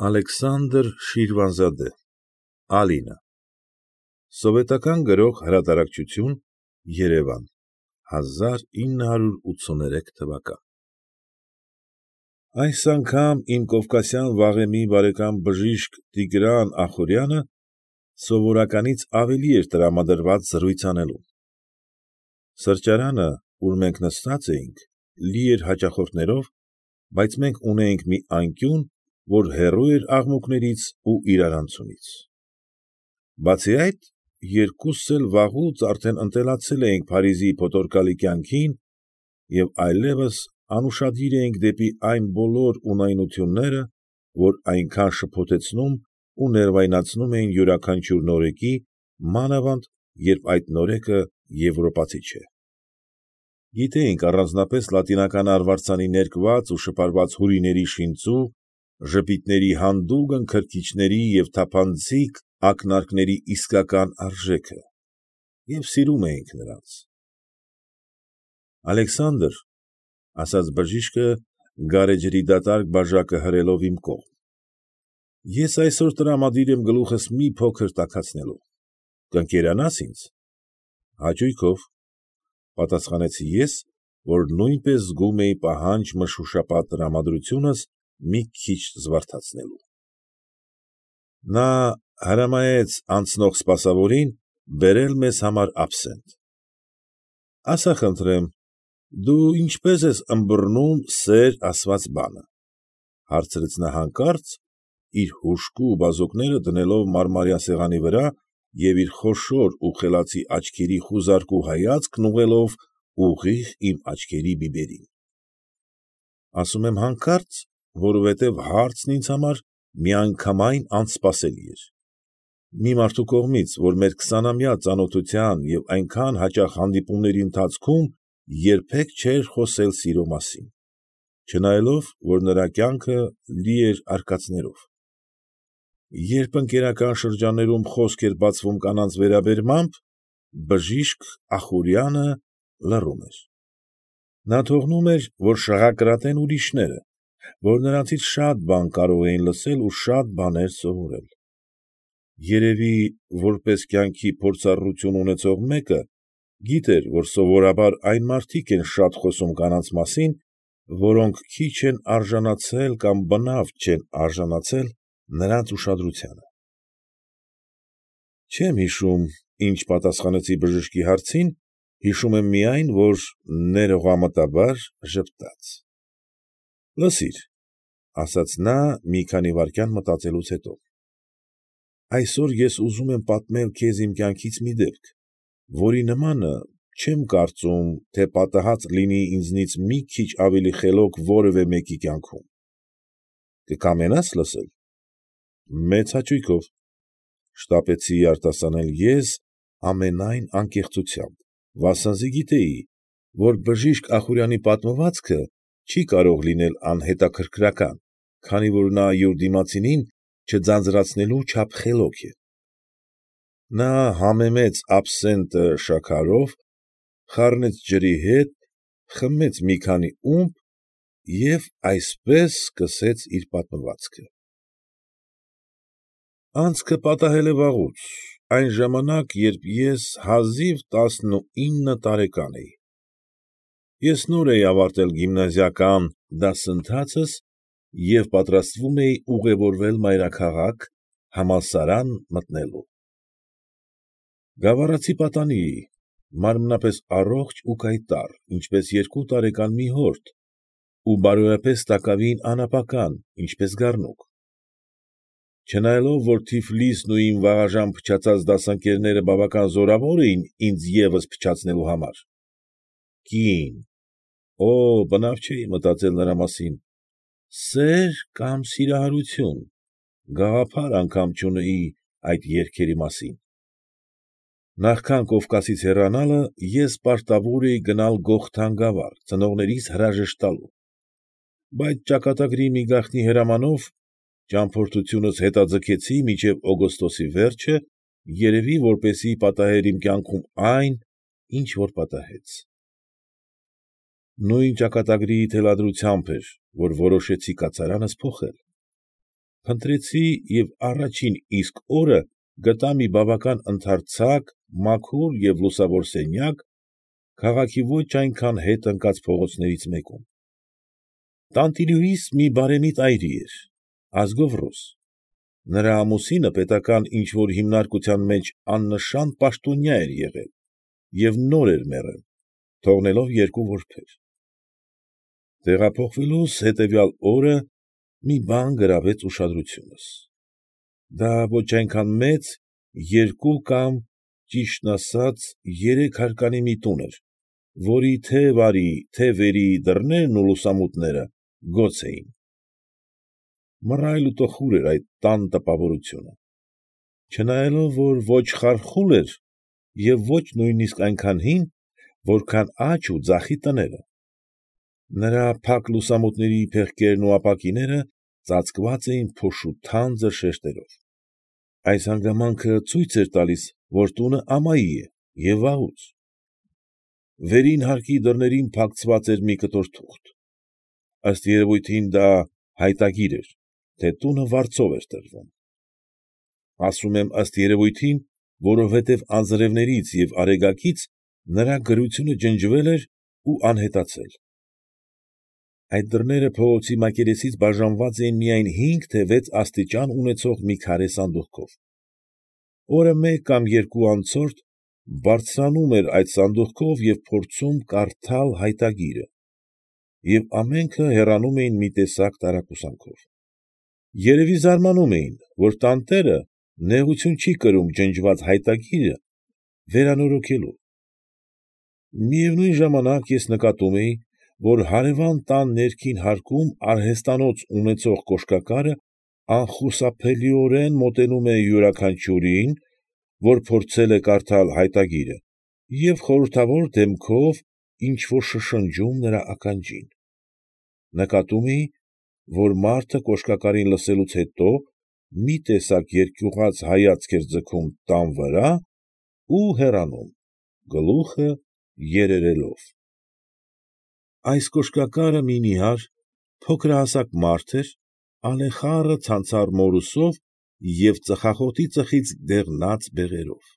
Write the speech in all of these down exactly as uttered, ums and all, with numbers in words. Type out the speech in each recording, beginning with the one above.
Ալեքսանդր Շիրվանզադե Ալինա Սովետական Գրող Հրատարակչություն Երևան հազար ինը հարյուր ութսուներեք թվական Այս անգամ իմ կովկասյան վաղեմի բարեկամ բժիշկ Տիգրան Ախուրյանը սովորականից ավելի էր տրամադրված զրույց անելու. Սրճարանը, ուր մենք նստած էինք, լի էր հաճախորդներով, բայց մենք ունեինք մի անկյուն, որ հեռու էր աղմուկներից ու իրարանցումից. Բացի այդ, երկուսս էլ վաղուց արդեն ընտելացել էինք Փարիզի փոթորկալի կյանքին և այլևս անուշադիր էինք դեպի այն բոլոր ունայնությունները, որ այնքան շփոթեցնում ու ներվայնացնում էին յուրաքանչյուր նորեկի, մանավանդ, երբ այդ նորեկը եվրոպացի չէ. Գիտեինք առանձնապես լատինական արվարձանի ներկված ու շպարված հյուրիների շինծու, ժպիտների հանդուգն քրքիջների և թափանցիկ ակնարկների իսկական արժեքը և սիրում էինք նրանց։ ֊ Ալեքսանդր, ֊ ասաց բժիշկը գարեջրի դատարկ բաժակը հրելով իմ կողմ, ֊ ես այսօր տրամադիր եմ գլուխս մի փոքր տաքացնելու, կընկերանա՞ս ինձ։ ֊ Հաճույքով, ֊ պատասխանեցի ես, որ նույնպես զգում էի պահանջ֊մշուշապատ տրամադրությունս մի քիչ զվարթացնելու։ Նա հրամայեց անցնող սպասավորին բերել մեզ համար աբսենտ։ ֊ Ասա խնդրեմ, դու ինչպե՞ս ես ըմբռնում սեր ասված բանը, ֊ հարցրեց նա հանկարծ, իր հուժկու բազուկները դնելով մարմարյա սեղանի վրա և իր խոշոր ու խելացի աչքերի խուզարկու հայացքն ուղղելով ուղիղ իմ աչքերի բիբերին։ Ասում եմ հանկարծ, որովհետև հարցն ինձ համար միանգամայն անսպասելի էր։ Մի մարդու կողմից, որ մեր քսանամյա ծանոթության և այնքան հաճախ հանդիպումների ընթացքում երբեք չէր խոսել սիրո մասին, չնայելով, որ նրա կյանքը լի էր արկածներով։ Երբ ընկերական շրջաններում խոսք էր բացվում կանանց վերաբերմամբ, բժիշկ Ախուրյանը լռում էր։ Նա թողնում էր, որ շաղակրատեն ուրիշները, որ նրանցից շատ բան կարող էին լսել ու շատ բաներ սովորել։ Երևի, որպես կյանքի փորձառություն ունեցող մեկը, գիտեր, որ սովորաբար այն մարդիկ են շատ խոսում կանանց մասին, որոնք քիչ են արժանացել կամ բնավ չեն արժանացել նրանց ուշադրությանը։ Չեմ հիշում ինչ պատասխանեցի բժշկի հարցին, հիշում եմ միայն, որ ներողամտաբար ժպտաց։ ֊ Լսիր, ֊ ասաց նա մի քանի վայրկյան մտածելուց հետո, ֊ այսօր ես ուզում եմ պատմել քեզ իմ կյանքից մի դեպք, որի նմանը չեմ կարծում, թե պատահած լինի ինձնից մի քիչ ավելի խելոք որևէ մեկի կյանքում։ Կկամենա՞ս լսել։ ֊ Մեծ հաճույքով, ֊ շտապեցի արտասանել ես ամենայն անկեղծությամբ, վասնզի գիտեի, որ բժիշկ Ախուրյանի պատմվածքը չի կարող լինել անհետաքրքրական, քանի որ նա յուր դիմացինին չձանձրացնելու չափ խելոք է։ Նա համեմեց աբսենտը շաքարով, խառնեց ջրի հետ, խմեց մի քանի ումպ և այսպես սկսեց իր պատմվածքը. Անցքը պատահել է վաղուց, այն ժամանակ, երբ ես հազիվ տասնուինը տարեկան էի։ Ես նոր էի ավարտել գիմնազիական դասընթացս և պատրաստվում էի ուղևորվել մայրաքաղաք, համալսարան մտնելու։ Գավառացի պատանի էի, մարմնապես առողջ ու կայտառ, ինչպես երկու տարեկան մի հորթ, ու բարոյապես տակավին անապական, ինչպես գառնուկ։ Չնայելով, որ Թիֆլիսն ու իմ վաղաժամ փչացած դասընկերները բավական զորավոր էին ինձ ևս փչացնելու համար, կին, օ՜, բնավ չէի մտածել նրա մասին, սեր կամ սիրահարություն, գաղափար անգամ չունեի այդ երգերի մասին։ Նախքան Կովկասից հեռանալը ես պարտավոր էի գնալ Գողթան գավառ ծնողներիս հրաժեշտ տալու, բայց ճակատագրի մի գաղտնի հրամանով ճամփորդությունս հետաձգեցի մինչև օգոստոսի վերջը, երևի, որպեսզի պատահեր իմ կյանքում այն, ինչ որ պատահեց։ Նույն ճակատագրի թելադրությամբ էր, որ որոշեցի կացարանս փոխել։ Փնտրեցի և առաջին իսկ օրը գտա մի բավական ընդարձակ, մաքուր և լուսավոր սենյակ քաղաքի ոչ այնքան ետ ընկած փողոցներից մեկում։ Տանտիրուհիս մի բարեսիտ այրի էր, ազգով ռուս, նրա ամուսինը պետական ինչ֊որ հիմնարկության մեջ աննշան պաշտոնյա էր եղել և նոր էր մեռել, թողնելով երկու որբեր։ Տեղափոխվելուս հետևյալ օրը մի բան գրավեց ուշադրությունս. դա ոչ այնքան մեծ, երկու կամ, ճիշտն ասած, երեք հարկանի մի տուն էր, որի թե՛ վարի, թե՛ վերի դռներն ու լուսամուտները գոց էին։ Մռայլ ու տխուր էր այդ տան տպավորությունը, չնայելով, որ ոչ խարխուլ էր և ոչ նույնիսկ այնքան հին, որքան աջ ու ձախի տները։ Նրա փակ լուսամուտների փեղկերն ու ապակիները ծածկված էին փոշու թանձր շերտերով։ Այս հանգամանքը ցույց էր տալիս, որ տունը ամայի է և վաղուց։ Վերին հարկի դռներին փակցված էր մի կտոր թուղթ։ Ըստ երևույթին դա հայտագիր էր, թե տունը վարձով էր տրվում։ Ասում եմ ըստ երևույթին, որովհետև անձրևներից և արեգակից նրա գրությունը ջնջվել էր ու անհետացել։ Այդ դռները փողոցի մակերեսից բաժանված էին միայն հինգ, թե վեց աստիճան ունեցող մի քարե սանդղքով։ Օրը մեկ կամ երկու անցորդ բարձրանում էր այդ սանդղքով և փորձում կարդալ հայտագիրը, և ամենքը հեռանում էին մի տեսակ տարակուսանքով։ Երևի զարմանում էին, որ տանտերը նեղություն չի կրում ջնջված հայտագիրը վերանորոգելու։ Միևնույն ժամանակ ես նկատում էի, որ հարևան տան ներքին հարկում արհեստանոց ունեցող կոշկակարը անխուսափելիորեն մոտենում է յուրաքանչյուրին, որ փորձել է կարդալ հայտագիրը, և խորհրդավոր դեմքով ինչ֊որ շշնջում նրա ականջին։ Նկատում էի, որ մարդը կոշկակարին լսելուց հետո մի տեսակ երկյուղած հայացք էր ձգում տան վրա ու հեռանում, գլուխը երերելով։ Այս կոշկակարը մի նիհար, փոքրահասակ մարդ էր, ալեխառը ցանցառ մորուսով և ծխախոտի ծխից դեղնած բեղերով։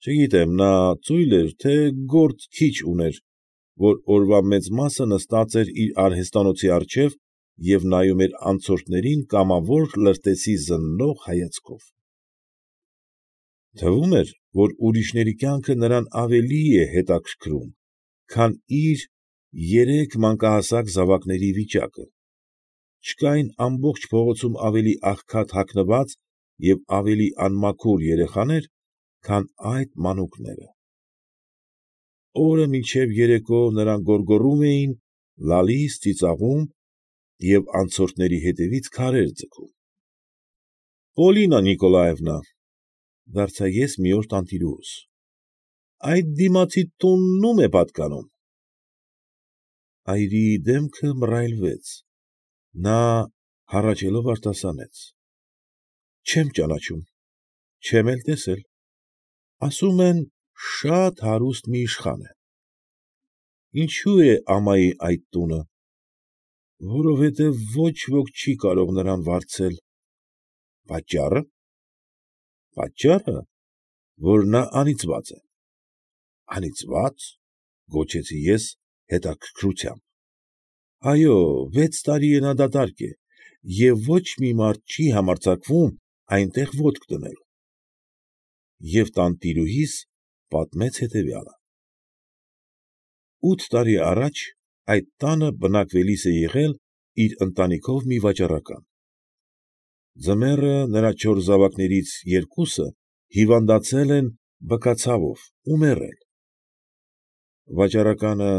Չգիտեմ, նա ծույլ էր, թե գործ քիչ ուներ, որ օրվա մեծ մասը նստած էր իր արհեստանոցի առջև և նայում էր անցորդներին կամավոր լրտեսի զննող հայացքով։ Թվում էր, որ ուրիշների կյանքը նրան ավելի է հետաքրքրում, քան իր երեք մանկահասակ զավակների վիճակը։ Չկային ամբողջ փողոցում ավելի աղքատ հագնված և ավելի անմաքուր երեխաներ, քան այդ մանուկները։ Օրը մինչև երեկո նրանք գոռգոռում էին, լալիս, ծիծաղում և անցորդների հետևից քարեր ձգում։ ֊ Պոլինա Նիկոլաևնա, ֊ դարձա ես մի օր տանտիրուհուս, ֊ այդ դիմացի տունն ո՞ւմ է պատկանում։ Այրիի դեմքը մռայլվեց, նա հառաչելով արտասանեց. ֊ Չեմ ճանաչում, չեմ էլ տեսել, ասում են շատ հարուստ մի իշխան է։ ֊ Ինչո՞ւ է ամայի այդ տունը։ ֊ Որովհետև ոչ ոք չի կարող նրան վարձել։ ֊ Պատճառը։ ֊ Պատճառը, որ նա անիծված է։ ֊ Անիծվա՞ծ, ֊ գոչեցի ես հետաքրքրությամբ։ ֊ Այո, վեց տարի է նա դատարկ է և ոչ մի մարդ չի համարձակվում այնտեղ ոտք դնել։ Եվ տանտիրուհիս պատմեց հետևյալը. Ութ տարի առաջ այդ տանը բնակվելիս է եղել իր ընտանիքով մի վաճառական։ Ձմեռը նրա չորս զավակներից երկուսը հիվանդացել են բկացավով ու մեռել։ Վաճառականը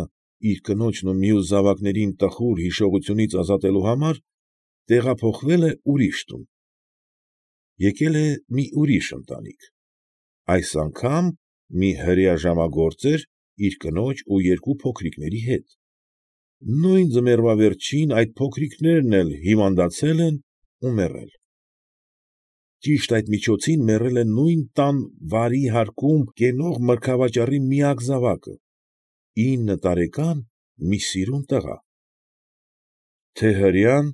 իր կնոջն ու մյուս զավակներին տխուր հիշողությունից ազատելու համար տեղափոխվել է ուրիշ տուն։ Եկել է մի ուրիշ ընտանիք, այս անգամ մի հրեա ժամագործ էր իր կնոջ ու երկու փոքրիկների հետ։ Նույն ձմեռվա վերջին այդ փոքրիկներն էլ հիվանդացել են ու մեռել։ Ճիշտ այդ միջոցին մեռել է նույն տան վարի հարկում կենող մրգավաճառի միակ զավակը, ինը տարեկան մի սիրուն տղա։ Թե՛ հրեան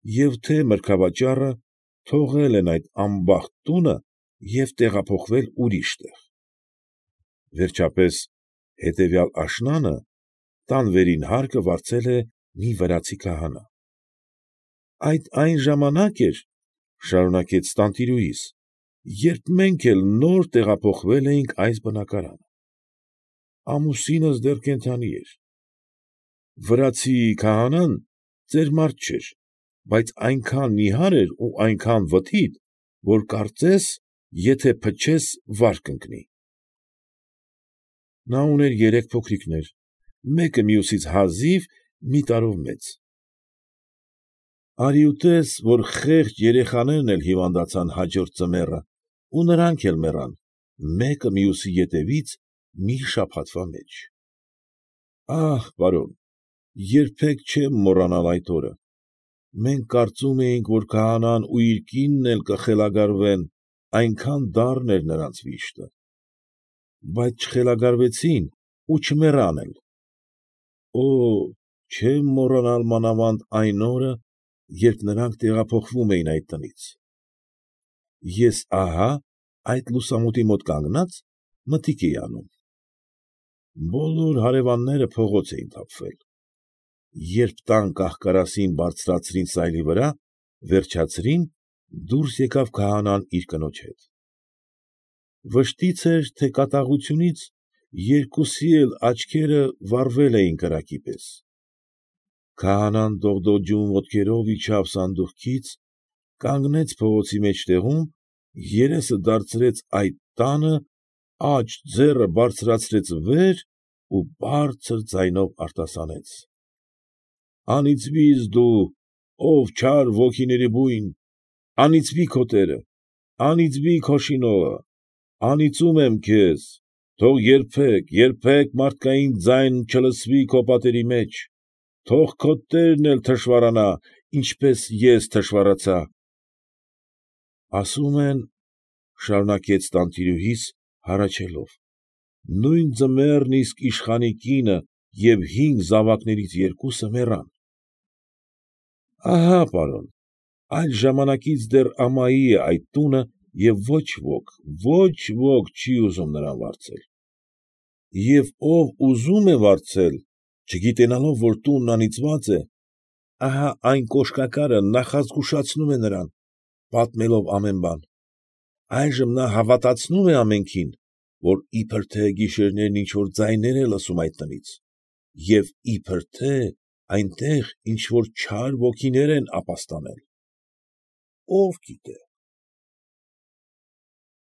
և թե մրգավաճառը թողել են այդ անբախտ տունը և տեղափոխվել ուրիշ տեղ։ Վերջապես, հետևյալ աշնանը տան վերին հարկը վարձել է մի վրացի քահանա։ ֊ Այդ այն ժամանակ էր, ֊ շարունակեց տանտիրուհիս, ֊ երբ մենք էլ նոր տեղափոխվել էինք այս բնակարան. ամուսինս դեռ կենդանի էր։ Վրացի քահանան ծեր մարդ չէր, բայց այնքան նիհար էր ու այնքան վթիթ, որ կարծես, եթե փչես, վար կընկնի։ Նա ուներ երեք փոքրիկներ, մեկը մյուսից հազիվ մի տարով մեծ։ Արի ուտես, որ խեղճ երեխաներն էլ հիվանդացան հաջորդ ձմեռը ու նրանք էլ մեռան, մեկը մյուսի ետևից մի շաբաթվա մեջ։ Ա՛հ, պարոն, երբեք չեմ մոռանալ այդ օրը, մենք կարծում էինք, որ քահանան ու իր կինն էլ կխելագարվեն, այնքան դառն էր նրանց վիշտը։ Բայց չխելագարվեցին ու չմեռան էլ։ Օօ, չեմ մոռանալ մանավանդ այն օրը, երբ նրանք տեղափոխվում էին այդ տնից։ Ես ահա այդ լուսամուտի մոտ կանգնած մտիկ էի անում։ Բոլոր հարևանները փողոց էին թափվել։ Երբ տան կահ֊կարասին բարձրացրին սայլի վրա, վերջացրին, դուրս եկավ քահանան իր կնոջ հետ։ Վշտից էր, թե կատաղությունից երկուսի էլ աչքերը վառվել էին կրակի պես։ Քահանան դողդոջուն ոտքերով իջավ սանդուղքից, կանգնեց փողոցի մեջտեղում, երեսը դարձրեց այդ տանը, աջ ձեռը բարձրացրեց վեր ու բարձր ձայնով արտասանեց. «Անիծվի՛ս դու, ով չար ոգիների բույն, անիծվի քո տերը, անիծվի քո շինողը, անիծում եմ քեզ, թող երբեք, երբեք մարդկային ձայն չլսվի քո պատերի մեջ, թող քո տերն էլ թշվառանա, ինչպես ես թշվառացա»։ Ասում են, ֊ շարունակեց տանտիրուհիս, հառաչելով, ֊ նույն ձմեռն իսկ իշխանի կինը և հինգ զավակներից երկուսը մեռան։ Ահա՛ պարոն, այդ ժամանակից դեռ ամայի է այդ տունը և ոչ ոք, ոչ ոք չի ուզում նրան վարձել։ Եվ ով ուզում է վարձել, չգիտենալով, որ տունն անիծված է, ահա այն կոշկակարը նախազգուշացնում է նրան, պատմելով ամեն բան։ Այժմ նա հավատացնում է ամենքին, որ իբր թե գիշերներն ինչ֊որ ձայներ է լսում այդ տնից, և իբր թե այնտեղ ինչ֊որ չար ոգիներ են ապաստանել։ Ո՞վ գիտե։